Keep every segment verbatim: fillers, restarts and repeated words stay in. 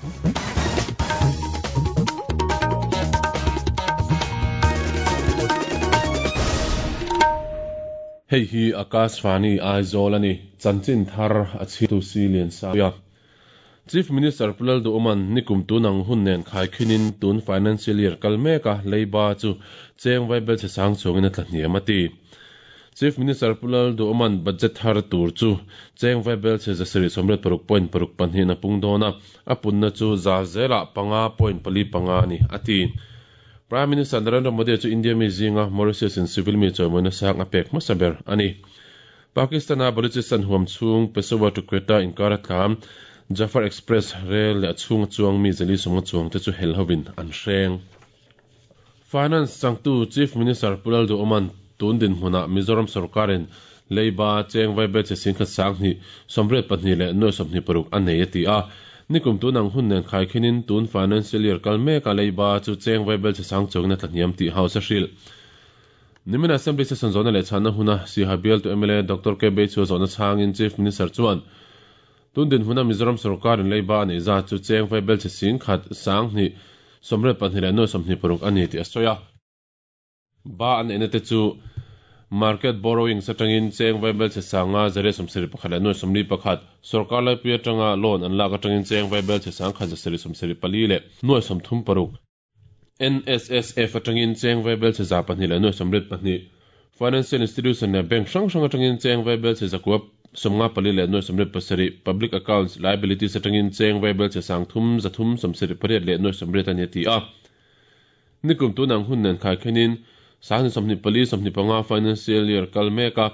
Hei hi Akashvani Aizawl ani chanchin thar a chhitu si lian sa ya. Chief Minister Pu Lalduhoma'n nikum tunang hun nen khaikhinin tun financial year kal meka leiba chu cheng vaibel che sang chungin a tla hniam a ti. Chief Minister Pu Lalduhoma'n budget thar tur chu cheng vaibel che zasarih sawmriat paruk point paruk pahnih a pung dawn a, a punna chu za zela panga point pali panga ani a ti. Prime Minister Narendra Modi chu India mi zinga Mauritius in civil mi chawimawina sang a pek hmasa ber ani. Pakistan a Balochistan huam chung Peshawar to Quetta inkar a tlam Jafar Express rel leh a chhung chuang mi zali sawmnga chuang te chu hel hovin an hreng. Finance changtu Chief Minister Pu Lalduhoma'n tun dinhmunah Mizoram sarkarin leiba cheng vaibel che singkhat sang hnih sawmriat pahnih leh nuai sawmhnih paruk a nei a ti a. Nikum tunang hun nen khaikhinin tun financial year kal meka leiba chu cheng vaibel che sang chungin a tla hniam tih house a hrilh. Nimin Assembly session zawhna leh chhanna huna Siaha bial tu M L A Doctor K Beichhua zawhna chhangin Chief Minister chuan tun dinhmuna Mizoram sarkarin leiba a nei zat chu cheng vaibel che singkhat sang hnih sawmriat pahnih leh nuai sawmhnih paruk a ni tih a sawi a. Ba an neihna te chu market borrowing atangin cheng vaibel che sanga zariat sawmsarih pakhat leh nuai sawmli pakhat, sarkar laipui atanga loan an lak atangin cheng vaibel che sang khat zasarih sawmsarih pali leh nuai sawmthum paruk, N S S F atangin cheng vaibel che za pahnih leh nuai sawmriat pahnih, financial institution leh bank hrang hrang atangin cheng vaibel che zakua sawmnga pali leh nuai sawmriat pasarih, public accounts liabilities atangin cheng vaibel che sang thum zathum sawmsarih pariat leh nuai sawmriat ani a ti a. Nikum tunang hun nen khaikhinin sang sawmhnih pali sawmhnih panga financial year kal meka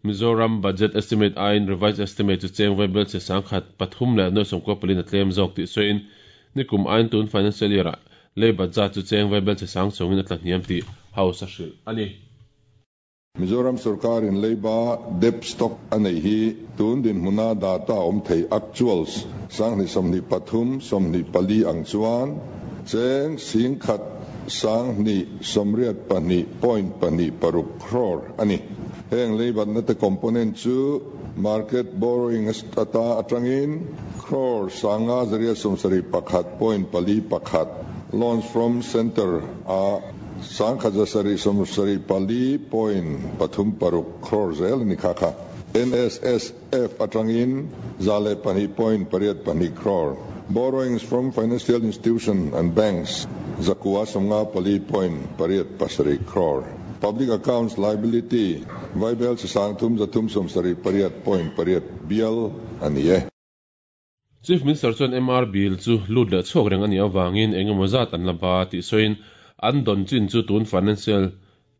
Mizoram budget estimate aiin revised estimate chu cheng vaibel che sang khat pathum leh nuai sawmkua pali na tlem zawk tih sawiin nikum aiin tun financial year ah lei budget chu cheng vaibel che sang chungin a tla hniam tih house a hrilh ani. Mizoram sarkarin leiba debt stock a nei hi tun dinhmuna data awm thei actuals sanghnih sawmhnih pathum sawmhnih pali ang chuan cheng singkhat sanghnih sawmriat pahnih point pahnih paruk crore ani. Heng leibatna te component chu market borrowing ata atangin crore sanga zariat sawmsarih pakhat point pali pakhat, loans from center a sangkhat zasarih sawmsarih pali point pathum paruk crore zel ani kha kha. N S S F atangin zale pahnih point pariat pahnih crore. Borrowings from financial institution and banks zakua sawmnga pali point pariat pasarih crore. Public accounts liability vaibel che sang thum zathum sawmsarih pariat point pariat bial ani e. Chief Minister chuan M R bill chu lut leh chhuak reng ani awangin engemaw zat an la ba tih sawiin an dawn chin chu tun financial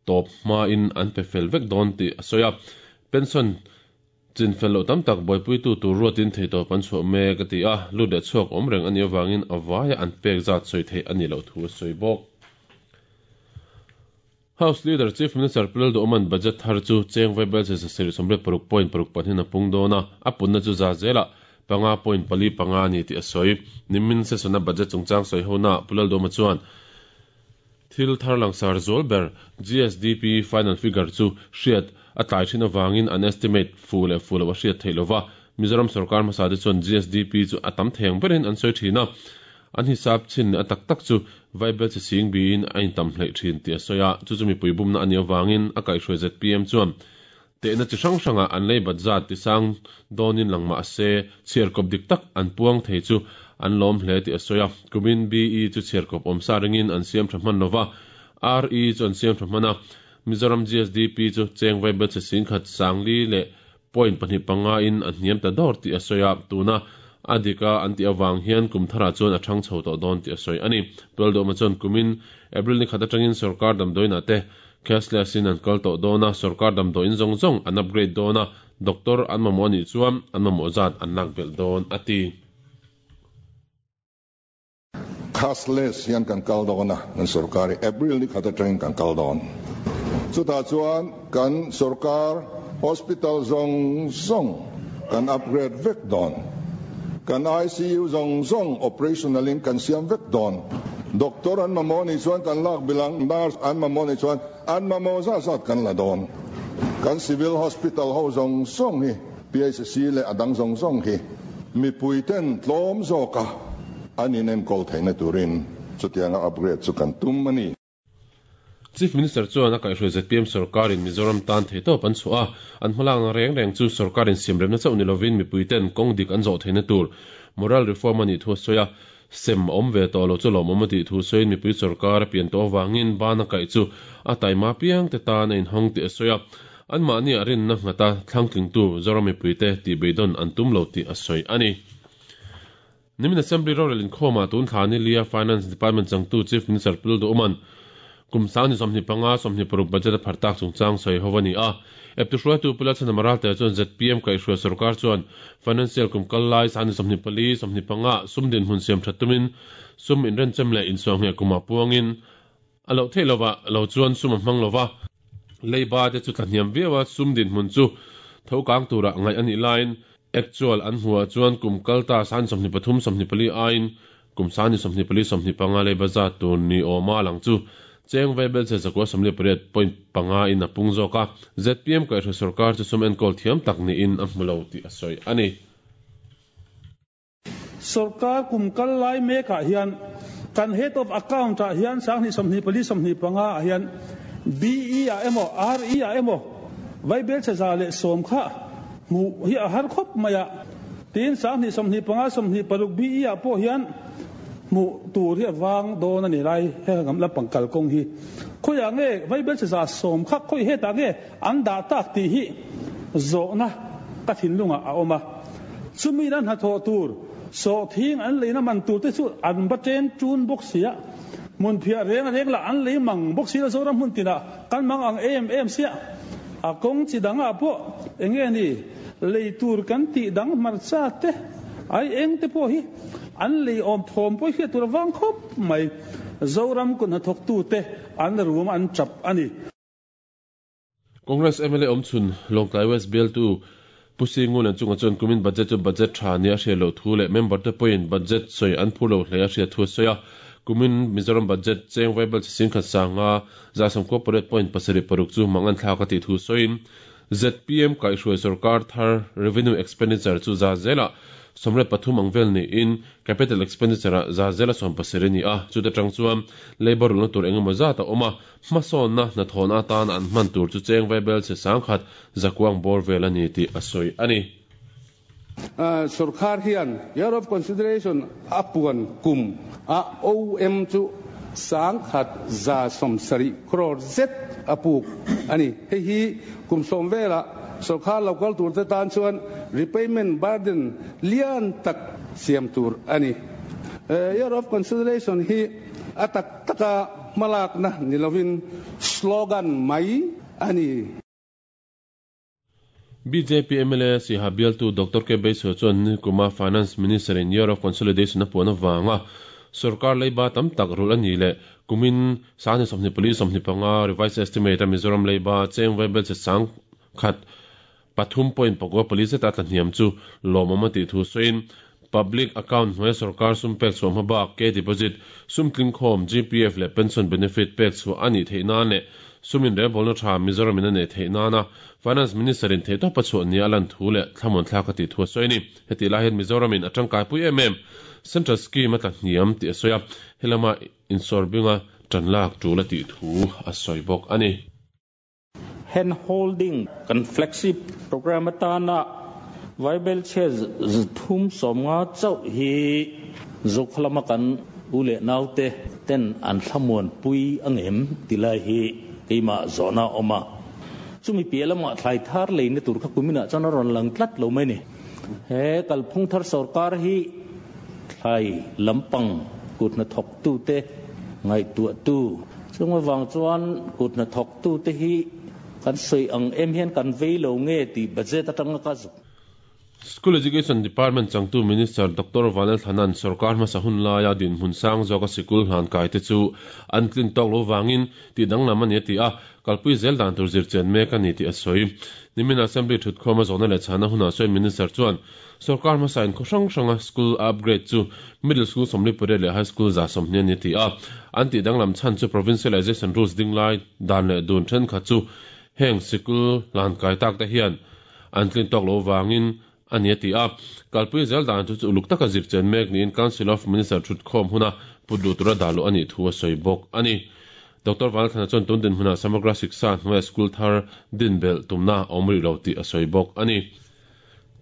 top hma in an pe fel vek dawn tih a sawi a. Pension chin fel lo tam tak buaipui tu tur ruatin thei tawp an chhuah mek a ti a, lut leh chhuak awm reng ani awangin a vaia an pek zat sawi thei ani lo thu a sawi bawk. House Leader Chief Minister Pu Lalduhoma'n budget thar chu cheng vaibel che zasarih sawmriat paruk point paruk pahnih a pung dawn a, a punna chu za zela panga point pali panga ani tih a sawi. Nimin session a budget chungchang sawi hona Pu Lalduhoma chuan thil thar langsar zual ber G S D P final figure chu hriat a tlai thin awangin an estimate fu leh fu lo a hriat thei lova. Mizoram sarkar hmasa te chuan G S D P chu a tam theng berin an sawi thin a, an hisap chin a tak tak chu vaibel che sing biin a intam hleih thin tih a sawi a. Chu chu mipui bumna ani awangin a kaihhruai Z P M chuan tehna chi hrang hranga an lei bat zat ti sang dawnin langma se chhiar kawp dik tak an puang thei chu an lawm hle tih a sawi a. Kumin B E chu chhiar kawp awm sa ringin an siam tha hman lova, R E chu an siam tha hman a. Mizoram G S D P chu cheng vaibel che singkhat sangli leh point pahnih panga in a hniam ta dawr tih a sawi a. Tuna a dika an ti awang hian kum thara chuan a thang chho tawh dawn tih a sawi ani. Pu Lalduhoma chuan kumin April ni khat atangin sarkar damdawiin te cashless in an kal tawh dawn a, sarkar damdawiin zawng zawng an upgrade dawn a, doctor an mamawh anih chuan an mamawh zat an lak belh dawn a ti. Cashless hian kan kal dawn a, kan sarkar hi April ni khat atangin kan kal dawn. Chutah chuan kan sarkar hospital zawng zawng kan upgrade vek dawn. Kan I C U zawng zawng operational in kan siam vek dawn. Doctor an mamawh ni chuan kan lak bilang, nurse an mamawh ni chuan an mamawh zat zat kan la dawn. Kan civil hospital ho zawng zawng hi P H C leh a dang zawng zawng hi mipui ten tlawm zawka an inenkawl theihna turin chutianga upgrade chu kan tum a ni. Chief Minister chuan a kaihhruai Z P M sorkarin Mizoram tan theihtawp an chhuah a, an hmalakna reng reng chu sorkarin siamremna chauh ni lovin mipuiten kawng dik an zawh theihna tur moral reform a nih thu a sawi a, sem a awm ve tawh lo chu lawmawm a tih thu sawiin mipui sorkar a pian tawh avangin bana kaih chu a taima piang te tan a inhawng tih a sawi a, anmahni a rinna nghata thlangtlingtu Zoram mipuite tih beidawn an tum lo tih a sawi a ni. Nimin Assembly rorel inkhawmah tun thla ni lia Finance Department changtu Chief Minister Pu Lalduhoma'n kum sangni sawmhnih panga sawmhnih paruk budget a phar tak chungchang sawi ho a ni a. Eptu hruaitu Pu Lalchhanham Ralte chuan Z P M kaihhruai sorkar chuan financial kum kal lai sangni sawmhnih pali sawmhnih panga sum dinhmun siam that tumin sum inrenchem leh insuangheh kumah puangin a loh theih lova lo chuan sum a hmang lova leiba te chu tlahniam viau a sum dinhmun chu tho kang turah ngaih a nih laiin actual an hmuah chuan kum kal ta san sawmhnih pathum sawmhnih pali aiin kum sangni sawmhnih pali sawmhnih panga leiba zat tur ni awma lang chu cheng vaibel che zakua sawmli pariat point panga in a pung zawk a Z P M kaihhruai sorkar chu sum enkawl thiam tak niin a hmu lo tih a sawi a ni. Sarkar kum kal lai mekah hian kan head of account ah hian sanghnih sawmhnih pali sawmhnih panga ah hian B E ah emaw R E ah emaw vaibel che za leh sawm kha hmu hi a har khawp mai a tin sanghnih sawmhnih panga sawmhnih paruk B E ah pawh hian hmu tur hi a wang dawn a ni lai he ngam lampang kalkawng hi khawiah nge vaibel che za sawm kha khawi hetah nge an dah tak tih hi zawhna ka thinlungah a awm a chumi an hnathawh tur sawhthing an leina man tur te chu an ba chen tun bawk sia mun phiah reng reng lah an lei mang bawk si la Zoram hmun tinah kan mang ang em em sia a kawng chi dangah pawh enge ni lei tur kan tih dang hmarcha te ai eng te pawh hi an lei awm thawm pawh hriat tur awang khawp mai Zoram kun hnathawk tu te an rum an chap a ni. Congress M L A awmchhun Lawngtlai West bialtu Pu Singun an chunga chuan kumin budget chu budget tha ni a hriat loh thu leh member te pawhin budget sawi an phur lo hle a hriat thu a sawi a kumin Mizoram budget cheng vaibel chi sing khat sanga za sawmkua pariat point pasarih paruk chu mang an thlak a tih thu sawiin Z P M kaihhruai sarkar thar revenue expenditure chu za zela sawmriat pathum ang vel niin capital expenditure a za zela sawm pasarih ni a chuta tang chuan labour rulna tur engemaw zat a awm a hmasawnna hnathawhna atan an hman tur chu cheng vaibel che sangkhat zakuang bawr vel a ni tih a sawi a ni. Sarkar hian year of consideration a puan kum a O M chu sangkhat za sawmsarih crore zet a puk ani hei hi kum sawm vela sarkar local tur te tan chuan repayment burden lian tak siam tur ani year of consideration hi atak taka malak na nilovin slogan mai ani. B J P M L A Siaha bialtu Doctor K Beiso chuan ni kuma Finance Minister in Year of Consolidation a puan awanga sarkar leiba tam tak rul ani le kumin sangni sawmhnih pali sawmhnih panga revised estimate a Mizoram leiba cheng vaibel che sang khat pathum point pakua pali zeta tlahniam chu lawmawm a tih thu sawiin public account hnuai sarkar sum pek chhuah hmabak K deposit sum tling khawm G P F leh pension benefit pek chhuah ani theih nan leh sumin rebawlna tha Mizoram in a nei theih nana Finance Minister in theihtawp a chhuah ni a lan thu leh thlamuan thlak a tih thu a sawi ni heti lai hian Mizoram in a tangkai pui em em central scheme a tlahniam tih a sawi a helama insawrbinga tan lak tul a tih thu a sawi bawk a ni. Hand holding kan flagship program atana vaibel che thum sawmnga chauh hi zokhlama kan ule naute ten an thlamuan pui angem tilai hi keima zona oma chumi pialama thlai thar leina tur kha kumina chana ron lang tlat lo mai ni he kalphung thar sarkar hi thlai lampang kutna thok tu te ngai tu tu chungwa wang chuan kutna thok tu te hi kan soi ang em hian kan vei lo nge ti budget atanga ka zu. School Education Department changtu Minister Doctor Vanlal Thanan sarkar hmasa hun laia din hmun sang zawka sikul hlan kai te chu an tlin tawk lo wangin ti danglam ani ti a kalpui zel dan tur zir chen mek ani ti a sawi nimin assembly thut khawma zawhna leh chhana huna sawi minister chuan sarkar hmasa in khaw hrang hranga school upgrade chu middle school sawmli pariat leh high school za sawmhnih ani ti a an ti danglam chhan chu provincialization rules ding lai dan leh dun then kha chu heng sikul hlan kai tak te hian an tlin tawk lo wangin ani ati a kalpui zel dan chu uluk taka zirchen mek niin Council of Minister thut khom huna putlu tura dalu ani thu a soi bok ani Doctor Vanlalthlana chuan tun din huna Samagra Shiksha hnuaia school thar din bel tumna awmri lo ti a soi bok ani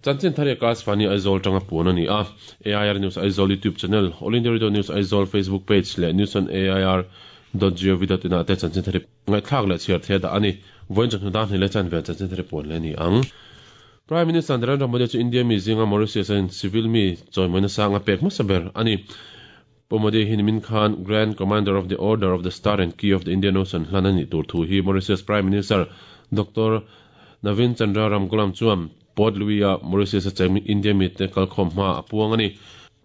Chanchin thar Akashvani Aizawl tanga puan ani a A I R News Aizawl YouTube channel All India Radio News Aizawl Facebook page le news on A I R dot gov dot in te chanchin thar ngai thlak le chhiar the da ani voin chun dan ni le chan ve chanchin thar puan le ni ang Prime Minister Narendra Modi chu India mi zinga Mauritius an civil mi choimoina sanga pek masaber ani Modi hin min Khan Grand Commander of the Order of the Star and Key of the Indian Ocean hlanani tur thu hi Mauritius Prime Minister Doctor Navin Chandra Ramgoolam chuan Port Louis a Mauritius a chemi India mi te kalkhom ma apuang ani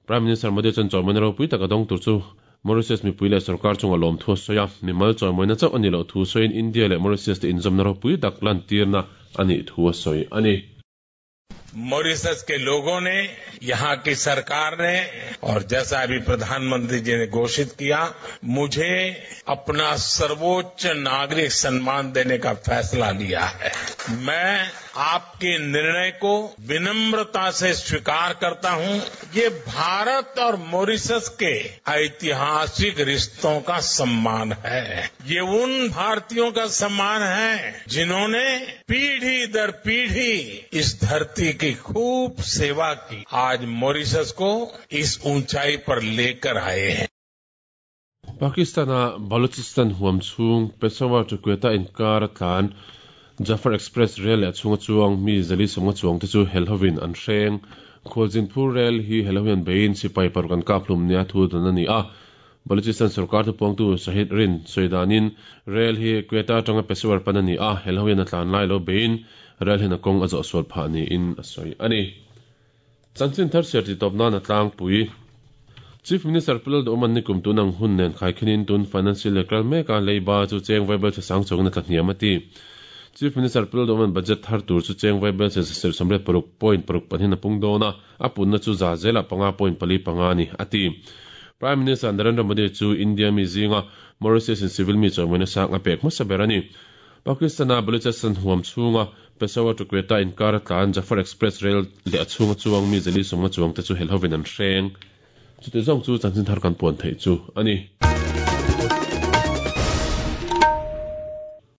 Prime Minister Modi chan choimoina ro pui taka dong tur chu Mauritius mi puile sarkar chunga lom thu soya mi mal choimoina chau ani lo thu soin India le Mauritius te inzomna ro pui tak lan tirna ani thu soi ani Mauritius के लोगों ने, यहाँ की सरकार ने और जैसा अभी प्रधानमंत्री जी ने घोषित किया, मुझे अपना सर्वोच्च नागरिक सम्मान देने का फैसला लिया है। मैं आपके निर्णय को विनम्रता से स्वीकार करता हूं। ये भारत और मॉरिशस के ऐतिहासिक रिश्तों का सम्मान है। ये उन भारतीयों का सम्मान है जिन्होंने पीढ़ी दर पीढ़ी इस धरती की खूब सेवा की, आज मॉरिशस को इस ऊंचाई पर लेकर आए हैं। Pakistan Balochistan huam chung Peshawar to Quetta inkar tlan Jafar Express rail a chunga chuang mi zali songa chuang te chu helhovin an hreng Khualzinpur rail hi helhovin bein sipai parkan kaplum nia thu dan ani a Balochistan sarkar tu pongtu Shahid Rin soidanin rail hi Quetta tanga Peshawar panani a helhovin a tlan lai lo bein rail hin a kong a zo sol pha ni in a soi ani Chanchin thar ser ti topna na tlang pui Chief Minister Pulal Oman nikum tunang hun nen khaikhinin tun financial lekal meka leiba chu cheng vaibel che sang chong na tlahniamati Chief Minister Pulal Oman budget thar tur chu cheng vaibel che ser samre paruk point paruk panin apung dona apunna chu za zela panga point pali panga ni ati Prime Minister Narendra Modi chu India mi zinga Mauritius in civil mi chawmena sang apek masaberani Pakistan a Balochistan huam chunga Peshawar to Quetta inkar tlan Jafar Express rail le achunga chuang mi zeli songa chuang te chu helhovin an hreng chu te zong chu chanchin thar kan puan thei chu ani.